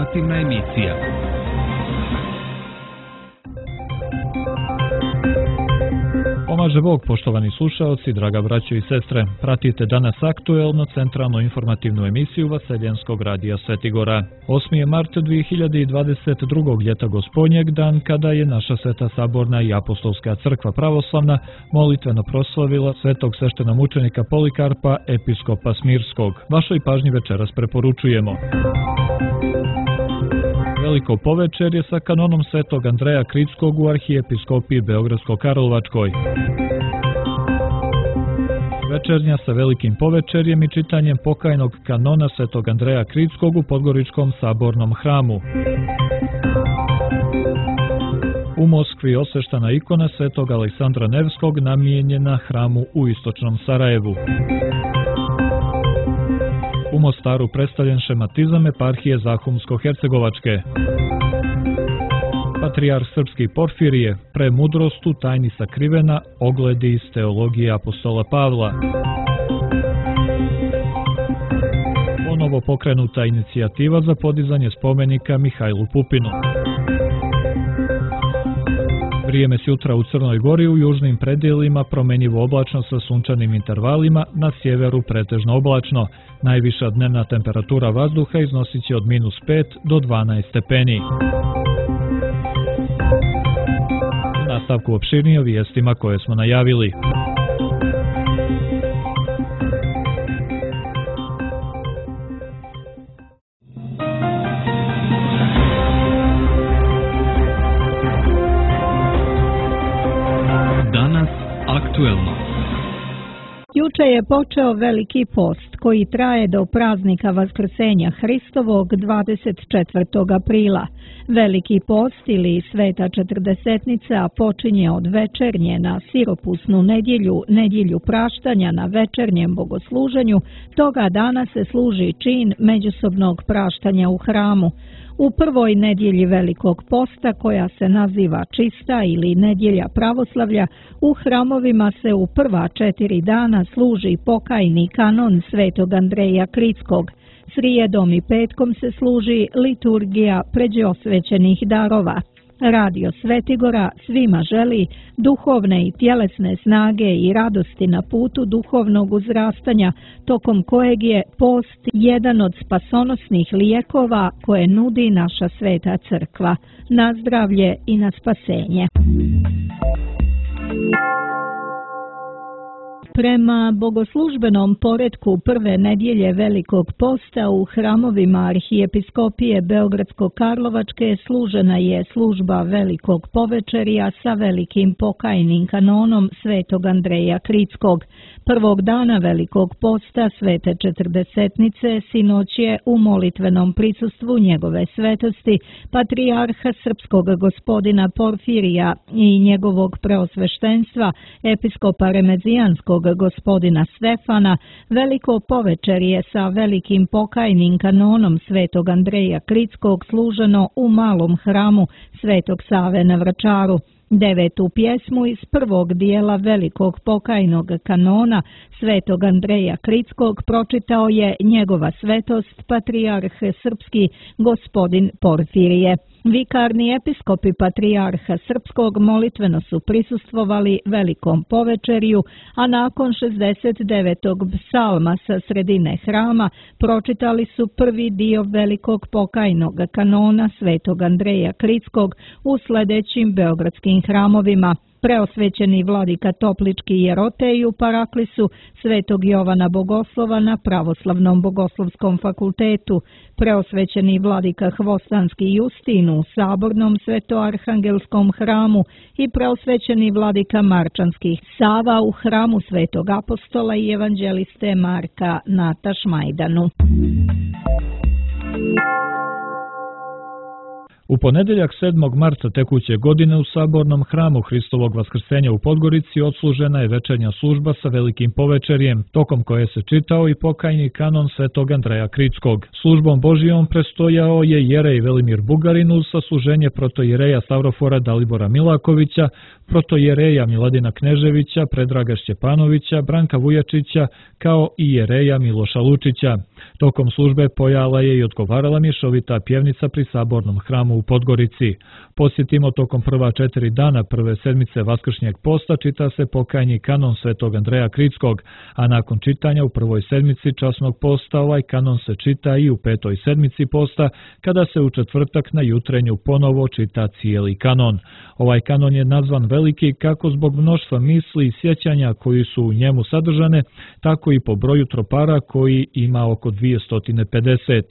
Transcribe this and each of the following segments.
informativna emisija. Pomaže Bog, poštovani slušaoci, draga braćo i sestre. Pratite danas aktuelno centralnu informativnu emisiju Vaseljenskog radija Svetigora. 8. je mart 2022. ljeta Gospodnjeg, dan kada je naša Sveta Saborna i Apostolska crkva pravoslavna molitveno proslavila svetog sveštenomučenika Polikarpa, episkopa Smirskog. Vašoj pažnji večeras preporučujemo Veliko povečerje sa kanonom svetog Andreja Kritskog u arhijepiskopiji Beogradsko-Karlovačkoj. Večernja sa velikim povečerjem i čitanjem pokajnog kanona svetog Andreja Kritskog u Podgoričkom sabornom hramu. U Moskvi osveštana ikona svetog Aleksandra Nevskog namijenjena hramu u istočnom Sarajevu. U Mostaru predstavljen šematizam eparhije Zahumsko-Hercegovačke. Patrijarh srpski Porfirije, premudrost u tajni sakrivena, ogledi iz teologije apostola Pavla. Ponovo pokrenuta inicijativa za podizanje spomenika Mihajlu Pupinu. Vrijeme s jutra u Crnoj Gori u južnim predjelima promjenjivo oblačno sa sunčanim intervalima, na sjeveru pretežno oblačno. Najviša dnevna temperatura vazduha iznosit će od -5 do 12 stepeni. U nastavku opširnije o vijestima koje smo najavili. Danas aktuelno. Juče je počeo Veliki post koji traje do praznika Vaskrsenja Hristovog 24. aprila. Veliki post ili Sveta četrdesetnica počinje od večernje na siropusnu nedjelju praštanja na večernjem bogosluženju. Toga dana se služi čin međusobnog praštanja u hramu. U prvoj nedjelji Velikog posta, koja se naziva Čista ili Nedjelja pravoslavlja, u hramovima se u prva 4 dana služi pokajni kanon svetog Andreja Kritskog. Srijedom i petkom se služi liturgija pređeosvećenih darova. Radio Svetigora svima želi duhovne i tjelesne snage i radosti na putu duhovnog uzrastanja, tokom kojeg je post jedan od spasonosnih lijekova koje nudi naša Sveta Crkva. Na zdravlje i na spasenje. Prema bogoslužbenom poretku prve nedjelje Velikog posta u hramovima arhijepiskopije Beogradsko-Karlovačke služena je služba Velikog povečerja sa velikim pokajnim kanonom svetog Andreja Kritskog. Prvog dana Velikog posta Svete četrdesetnice sinoć je u molitvenom prisustvu njegove svetosti Patrijarha srpskog gospodina Porfirija i njegovog preosveštenstva episkopa Remezijanskog gospodina Stefana, Veliko povečerje sa velikim pokajnim kanonom svetog Andreja Kritskog služeno u malom hramu Svetog Save na Vračaru. 9. pjesmu iz prvog dijela Velikog pokajnog kanona svetog Andreja Kritskog pročitao je njegova svetost Patrijarh srpski gospodin Porfirije. Vikarni episkopi Patrijarha srpskog molitveno su prisustvovali Velikom povečerju, a nakon 69. psalma sa sredine hrama pročitali su prvi dio Velikog pokajnog kanona svetog Andreja Kritskog u sljedećim beogradskim hramovima: preosvećeni vladika Toplički Jerotej u Paraklisu, svetog Jovana Bogoslova na Pravoslavnom bogoslovskom fakultetu, preosvećeni vladika Hvostanski Justin u Sabornom svetoarhangelskom hramu i preosvećeni vladika Marčanskih Sava u hramu svetog apostola i evanđeliste Marka na Tašmajdanu. U ponedeljak 7. marta tekuće godine u Sabornom hramu Hristovog vaskrsenja u Podgorici odslužena je večernja služba sa velikim povečerjem, tokom koje se čitao i pokajni kanon Svetog Andreja Kritskog. Službom Božijom prestojao je jerej Velimir Bugarin uz sasluženje protojereja Stavrofora Dalibora Milakovića, protojereja Miladina Kneževića, Predraga Šćepanovića, Branka Vujačića, kao i jereja Miloša Lučića. Tokom službe pojala je i odgovarala mješovita pjevnica pri Sabornom hramu u Podgorici. Posjetimo, tokom prva 4 dana prve sedmice Vaskršnjeg posta čita se pokajni kanon Svetog Andreja Kritskog, a nakon čitanja u prvoj sedmici časnog posta ovaj kanon se čita i u petoj sedmici posta, kada se u četvrtak na jutrenju ponovo čita cijeli kanon. Ovaj kanon je nazvan veliki kako zbog mnoštva misli i sjećanja koji su u njemu sadržane, tako i po broju tropara koji ima oko 250.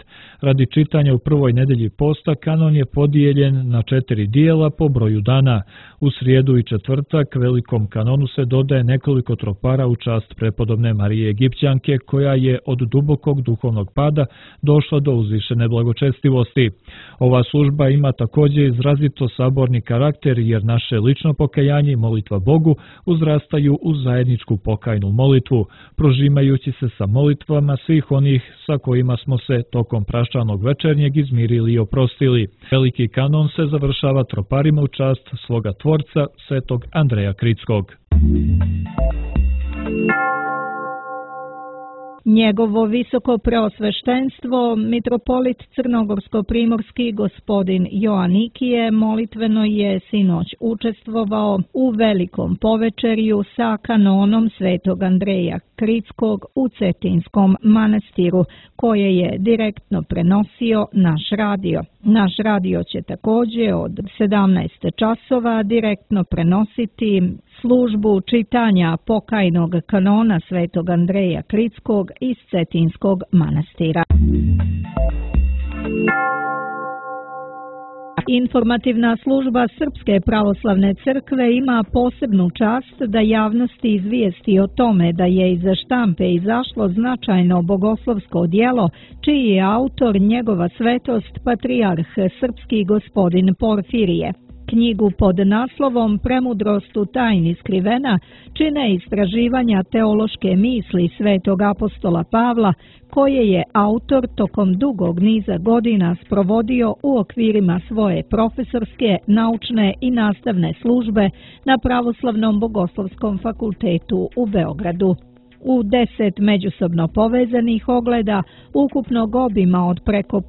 Radi čitanja u prvoj nedelji posta kanon je podijeljen na 4 dijela po broju dana. U srijedu i četvrtak velikom kanonu se dodaje nekoliko tropara u čast prepodobne Marije Egipćanke, koja je od dubokog duhovnog pada došla do uzvišene blagočestivosti. Ova služba ima također izrazito saborni karakter, jer naše lično pokajanje i molitva Bogu uzrastaju u zajedničku pokajnu molitvu, prožimajući se sa molitvama svih onih sa kojima smo se tokom praščanog večernjeg izmirili i oprostili. Veliki kanon se završava troparima u čast svoga tvorca, Svetog Andreja Kritskog. Njegovo visoko preosveštenstvo, mitropolit crnogorsko-primorski gospodin Joanikije, molitveno je sinoć učestvovao u velikom povečerju sa kanonom Svetog Andreja Kritskog u Cetinskom manastiru, koje je direktno prenosio naš radio. Naš radio će također od 17 časova direktno prenositi službu čitanja pokajnog kanona Svetog Andreja Kritskog iz Cetinskog manastira. Informativna služba Srpske pravoslavne crkve ima posebnu čast da javnosti izvijesti o tome da je iz štampe izašlo značajno bogoslovsko djelo, čiji je autor njegova svetost patrijarh srpski gospodin Porfirije. Knjigu pod naslovom Premudrost u tajni skrivena čine istraživanja teološke misli svetog apostola Pavla, koje je autor tokom dugog niza godina sprovodio u okvirima svoje profesorske, naučne i nastavne službe na Pravoslavnom bogoslovskom fakultetu u Beogradu. U 10 međusobno povezanih ogleda ukupnog obima od preko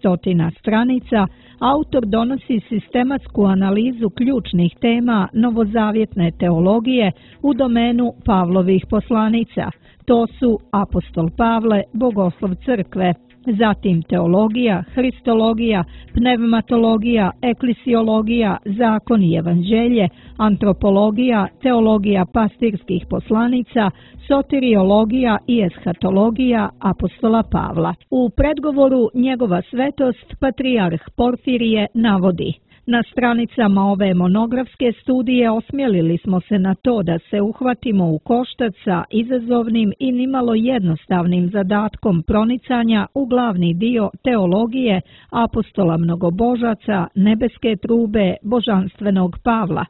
500 stranica, autor donosi sistematsku analizu ključnih tema novozavjetne teologije u domenu Pavlovih poslanica. To su apostol Pavle, bogoslov crkve, zatim teologija, hristologija, pneumatologija, eklisiologija, zakon i evanđelje, antropologija, teologija pastirskih poslanica, soteriologija i eshatologija apostola Pavla. U predgovoru njegova svetost patrijarh Porfirije navodi: na stranicama ove monografske studije osmjelili smo se na to da se uhvatimo u koštac sa izazovnim i nimalo jednostavnim zadatkom pronicanja u glavni dio teologije apostola mnogobožaca, nebeske trube, božanstvenog Pavla.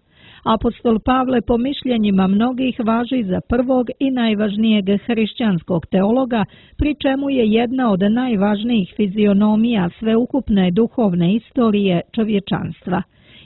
Apostol Pavle po mišljenjima mnogih važi za prvog i najvažnijeg hrišćanskog teologa, pri čemu je jedna od najvažnijih fizionomija sveukupne duhovne istorije čovječanstva.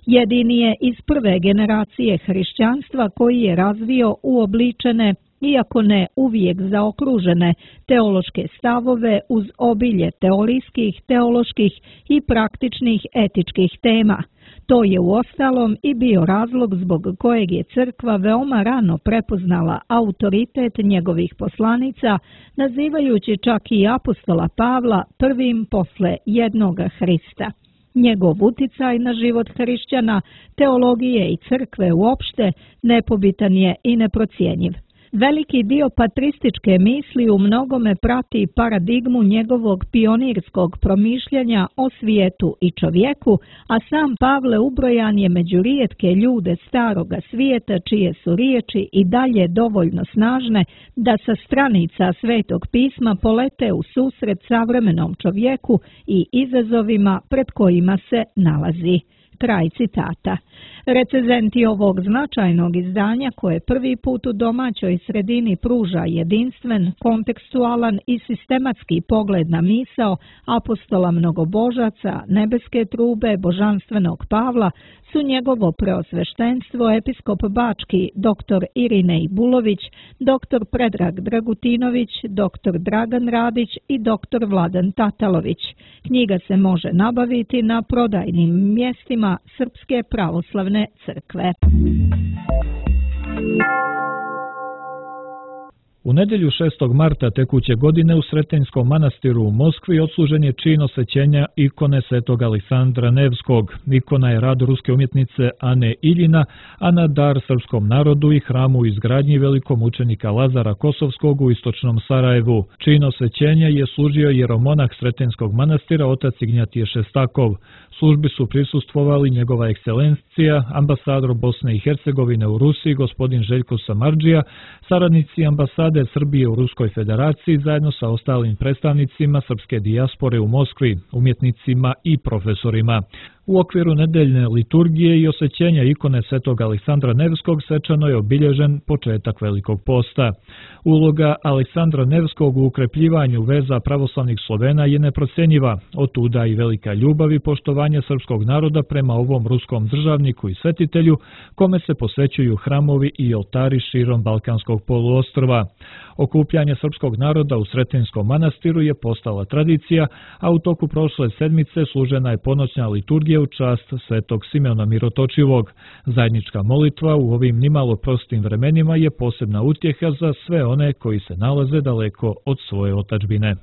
Jedini je iz prve generacije hrišćanstva koji je razvio uobličene, iako ne uvijek zaokružene, teološke stavove uz obilje teorijskih, teoloških i praktičnih etičkih tema. To je uostalom i bio razlog zbog kojeg je crkva veoma rano prepoznala autoritet njegovih poslanica, nazivajući čak i apostola Pavla prvim posle jednoga Hrista. Njegov uticaj na život hrišćana, teologije i crkve uopšte nepobitan je i neprocjenjiv. Veliki dio patrističke misli u mnogome prati paradigmu njegovog pionirskog promišljanja o svijetu i čovjeku, a sam Pavle ubrojan je među rijetke ljude staroga svijeta čije su riječi i dalje dovoljno snažne da sa stranica Svetog pisma polete u susret savremenom čovjeku i izazovima pred kojima se nalazi. Kraj citata. Recenzenti ovog značajnog izdanja, koje prvi put u domaćoj sredini pruža jedinstven, kontekstualan i sistematski pogled na misao apostola mnogobožaca, nebeske trube, božanstvenog Pavla, su njegovo preosveštenstvo episkop Bački dr. Irinej Bulović, dr. Predrag Dragutinović, dr. Dragan Radić i dr. Vladan Tatalović. Knjiga se može nabaviti na prodajnim mjestima Srpske pravoslavne crkve. U nedjelju 6. marta tekuće godine u Sretenjskom manastiru u Moskvi odslužen je čin osvećenja ikone svetog Aleksandra Nevskog. Ikona je rad ruske umjetnice Ane Iljina, a na dar srpskom narodu i hramu u izgradnji velikom učenika Lazara Kosovskog u istočnom Sarajevu. Čin osvećenja je služio jeromonah Sretenjskog manastira otac Ignjatije Šestakov. Službi su prisustvovali njegova ekscelencija, ambasador Bosne i Hercegovine u Rusiji gospodin Željko Samardžija, saradnici ambasade Srbije u Ruskoj federaciji zajedno sa ostalim predstavnicima srpske dijaspore u Moskvi, umjetnicima i profesorima. U okviru nedeljne liturgije i osvećenja ikone svetog Aleksandra Nevskog svečano je obilježen početak Velikog posta. Uloga Aleksandra Nevskog u ukrepljivanju veza pravoslavnih Slovena je neprocjenjiva, otuda i velika ljubav i poštovanje srpskog naroda prema ovom ruskom državniku i svetitelju, kome se posvećuju hramovi i oltari širom Balkanskog poluostrva. Okupljanje srpskog naroda u Sretenjskom manastiru je postala tradicija, a u toku prošle sedmice služena je ponoćna liturgija u čast svetog Simeona Mirotočivog. Zajednička molitva u ovim nimalo prostim vremenima je posebna utjeha za sve one koji se nalaze daleko od svoje otadžbine.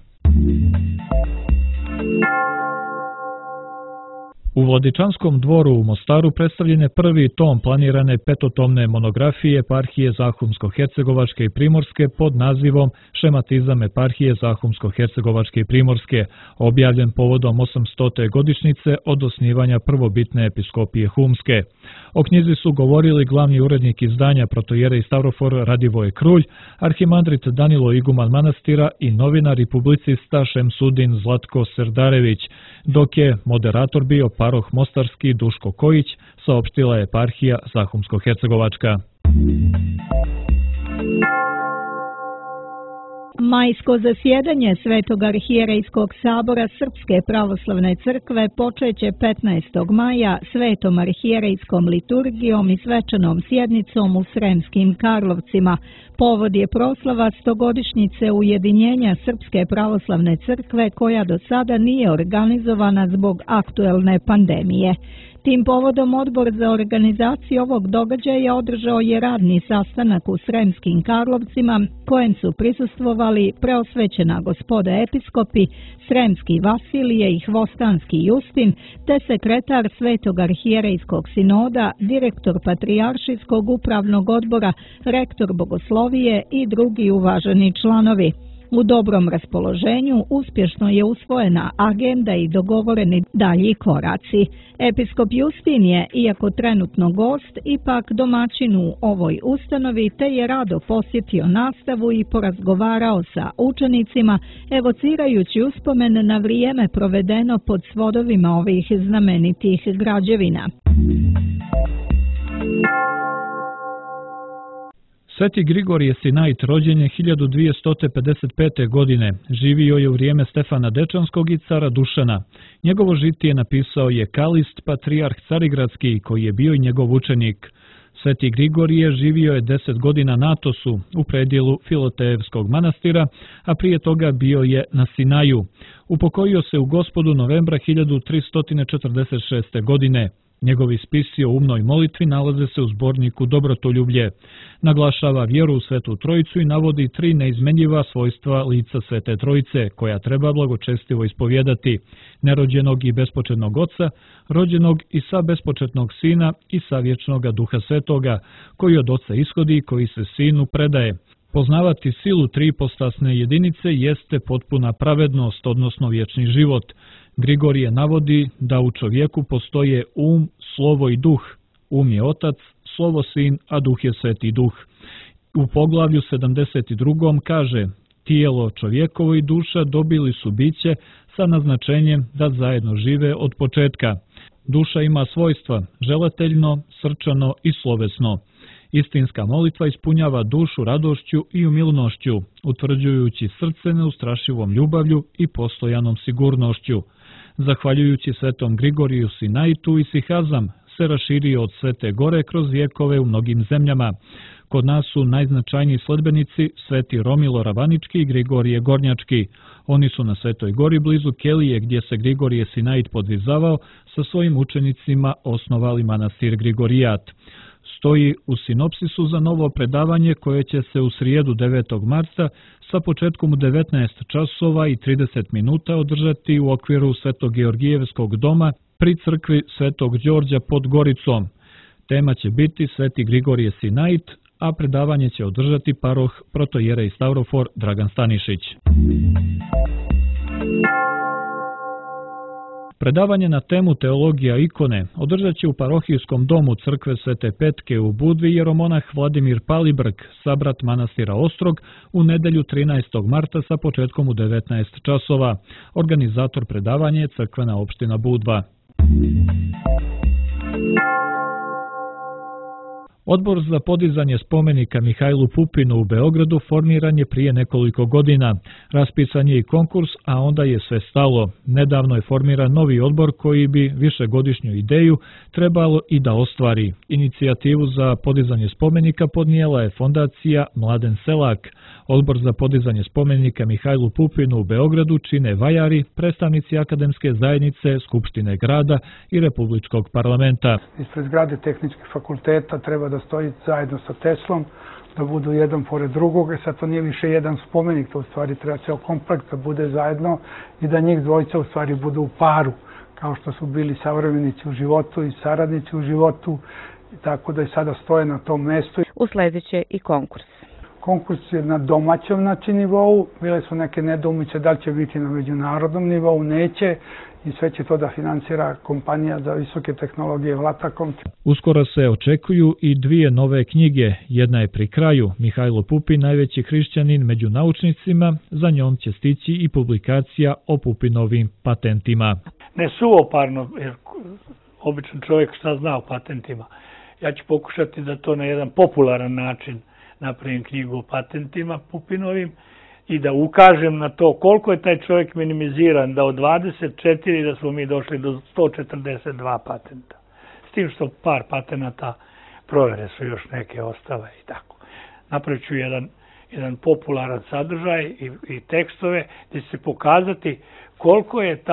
U Vladičanskom dvoru u Mostaru predstavljen je prvi tom planirane petotomne monografije eparhije Zahumsko-Hercegovačke i Primorske pod nazivom Šematizam eparhije Zahumsko-Hercegovačke i Primorske, objavljen povodom 800. godišnjice od osnivanja prvobitne episkopije Humske. O knjizi su govorili glavni urednik izdanja protojere i stavrofor Radivoje Krulj, arhimandrit Danilo Iguman manastira i novinar i publicista Šemsudin Zlatko Serdarević, dok je moderator bio paroh mostarski Duško Kojić, saopštila je eparhija Zahumsko-Hercegovačka. Majsko zasjedanje Svetog arhijerejskog sabora Srpske pravoslavne crkve počeće 15. maja Svetom arhijerejskom liturgijom i svečanom sjednicom u Sremskim Karlovcima. Povod je proslava 100-godišnjice ujedinjenja Srpske pravoslavne crkve koja do sada nije organizovana zbog aktuelne pandemije. Tim povodom Odbor za organizaciju ovog događaja održao je radni sastanak u Sremskim Karlovcima, kojem su prisustvovali preosvećena gospoda episkopi, Sremski Vasilije i Hvostanski Justin, te sekretar Svetog arhijerejskog sinoda, direktor Patrijaršijskog upravnog odbora, rektor bogoslovije i drugi uvaženi članovi. U dobrom raspoloženju uspješno je usvojena agenda i dogovoreni dalji koraci. Episkop Justin je, iako trenutno gost, ipak domaćin u ovoj ustanovi, te je rado posjetio nastavu i porazgovarao sa učenicima, evocirajući uspomen na vrijeme provedeno pod svodovima ovih znamenitih građevina. Sveti Grigorije Sinajt rođen je 1255. godine, živio je u vrijeme Stefana Dečanskog i cara Dušana. Njegovo žitije napisao je Kalist, patrijarh Carigradski, koji je bio i njegov učenik. Sveti Grigorije živio je 10 godina na Atosu, u predjelu Filotejevskog manastira, a prije toga bio je na Sinaju. Upokojio se u Gospodu novembra 1346. godine. Njegovi spisi o umnoj molitvi nalaze se u zborniku Dobrotoljublje. Naglašava vjeru u Svetu Trojicu i navodi 3 neizmenjiva svojstva lica Svete Trojice, koja treba blagočestivo ispovjedati: nerođenog i bespočetnog Oca, rođenog i sa bespočetnog Sina i sa vječnoga Duha Svetoga, koji od Oca ishodi i koji se Sinu predaje. Poznavati silu tripostasne jedinice jeste potpuna pravednost, odnosno vječni život. Grigorije navodi da u čovjeku postoje um, slovo i duh. Um je otac, slovo sin, a duh je sveti duh. U poglavlju 72. kaže: tijelo čovjekovo i duša dobili su biće sa naznačenjem da zajedno žive od početka. Duša ima svojstva želateljno, srčano i slovesno. Istinska molitva ispunjava dušu radošću i umilnošću, utvrđujući srce neustrašivom ljubavlju i postojanom sigurnošću. Zahvaljujući svetom Grigoriju Sinaitu i Sihazam se raširio od Svete Gore kroz vjekove u mnogim zemljama. Kod nas su najznačajniji sledbenici sveti Romilo Ravanički i Grigorije Gornjački. Oni su na Svetoj Gori blizu Kelije, gdje se Grigorije Sinait podvizavao, sa svojim učenicima osnovali manastir Grigorijat. Stoji u sinopsisu za novo predavanje koje će se u srijedu 9. marta sa početkom u 19 časova i 30 minuta održati u okviru Svetogeorgijevskog doma pri crkvi Svetog Đorđa pod Goricom. Tema će biti Sveti Grigorije Sinait, a predavanje će održati paroh protojerej Stavrofor Dragan Stanišić. Predavanje na temu teologija ikone održat će u parohijskom domu crkve Svete Petke u Budvi jeromonah Vladimir Palibrk, sabrat manastira Ostrog, u nedjelju 13. marta sa početkom u 19 časova. Organizator predavanja je crkvena opština Budva. Odbor za podizanje spomenika Mihajlu Pupinu u Beogradu formiran je prije nekoliko godina. Raspisan je i konkurs, a onda je sve stalo. Nedavno je formiran novi odbor koji bi višegodišnju ideju trebalo i da ostvari. Inicijativu za podizanje spomenika podnijela je fondacija Mladen Selak. Odbor za podizanje spomenika Mihajlu Pupinu u Beogradu čine vajari, predstavnici akademske zajednice, Skupštine grada i Republičkog parlamenta. Ispred zgrade tehničkih fakulteta treba da stoji zajedno sa Teslom, da budu jedan pored drugog, sad to nije više jedan spomenik, to u stvari treba ceo kompleks da bude zajedno i da njih dvojica u stvari budu u paru, kao što su bili savremenici u životu i saradnici u životu, tako da i sada stoje na tom mestu. Usledit će i konkurs. Konkurs je na domaćem nivou, bile su neke nedoumice da li će biti na međunarodnom nivou, neće, i sve će to da finansira kompanija za visoke tehnologije Vlatakom. Uskoro se očekuju i dvije nove knjige. Jedna je pri kraju, Mihajlo Pupin, najveći hrišćanin među naučnicima, za njom će stići i publikacija o Pupinovim patentima. Ne suvoparno, jer običan čovjek šta zna o patentima. Ja ću pokušati da to na jedan popularan način napravim knjigu o patentima Pupinovim i da ukažem na to koliko je taj čovjek minimiziran, da od 24 da smo mi došli do 142 patenta. S tim što par patenata provjere su još neke ostale i tako. Napravit ću jedan popularan sadržaj i tekstove gdje će se pokazati koliko je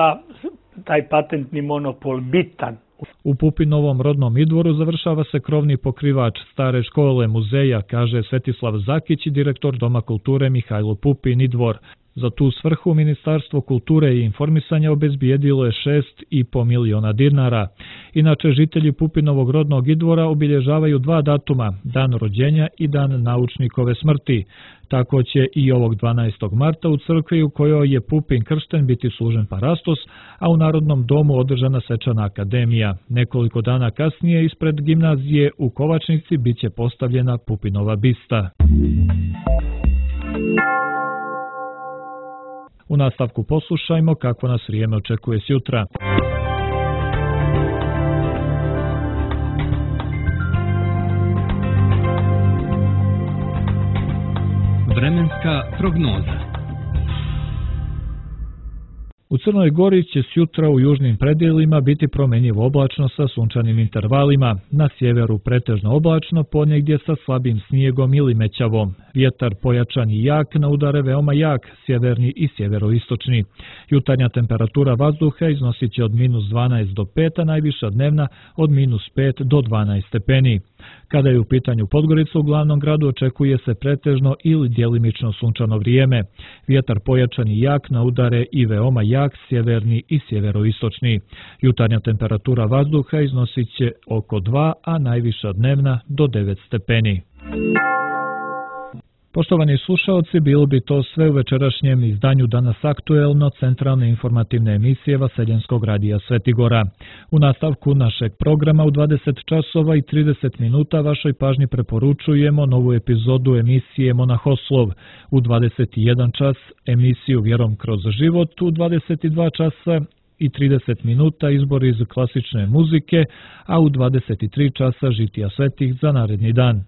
taj patentni monopol bitan. U Pupinovom rodnom idvoru završava se krovni pokrivač stare škole muzeja, kaže Svetislav Zakić, direktor Doma kulture Mihajlo Pupin idvor. Za tu svrhu Ministarstvo kulture i informisanja obezbijedilo je 6,5 miliona dinara. Inače, žitelji Pupinovog rodnog idvora obilježavaju dva datuma, dan rođenja i dan naučnikove smrti. Tako će i ovog 12. marta u crkvi u kojoj je Pupin kršten biti služen parastos, a u Narodnom domu održana svečana akademija. Nekoliko dana kasnije ispred gimnazije u Kovačnici biće postavljena Pupinova bista. U nastavku poslušajmo kako nas vrijeme očekuje sjutra. Vremenska prognoza. U Crnoj Gori će sjutra u južnim predjelima biti promjenjivo oblačno sa sunčanim intervalima. Na sjeveru pretežno oblačno, ponegdje sa slabim snijegom ili mećavom. Vjetar pojačan i jak, na udare veoma jak, sjeverni i sjeveroistočni. Jutarnja temperatura vazduha iznosit će od -12 do 5, a najviša dnevna od -5 do 12 stepeni. Kada je u pitanju Podgorica, u glavnom gradu očekuje se pretežno ili djelimično sunčano vrijeme. Vjetar pojačan i jak, na udare i veoma jak, sjeverni i sjeveroistočni. Jutarnja temperatura vazduha iznosit će oko 2, a najviša dnevna do 9 stepeni. Poštovani slušaoci, bilo bi to sve u večerašnjem izdanju Danas aktuelno, centralne informativne emisije Vaseljenskog radija Svetigora. U nastavku našeg programa u 20 časova i 30 minuta vašoj pažnji preporučujemo novu epizodu emisije Monahoslov. U 21 čas emisiju Vjerom kroz život, u 22 časa i 30 minuta izbor iz klasične muzike, a u 23 časa žitija svetih za naredni dan.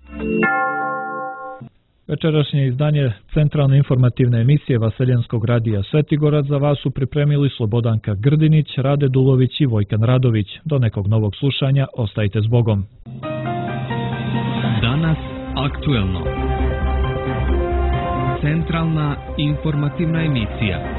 Večerašnje izdanje centralne informativne emisije Vaseljenskog radija Svetigora za vas su pripremili Slobodanka Grdinić, Rade Dulović i Vojkan Radović. Do nekog novog slušanja, ostajte s Bogom. Danas aktuelno. Centralna informativna emisija.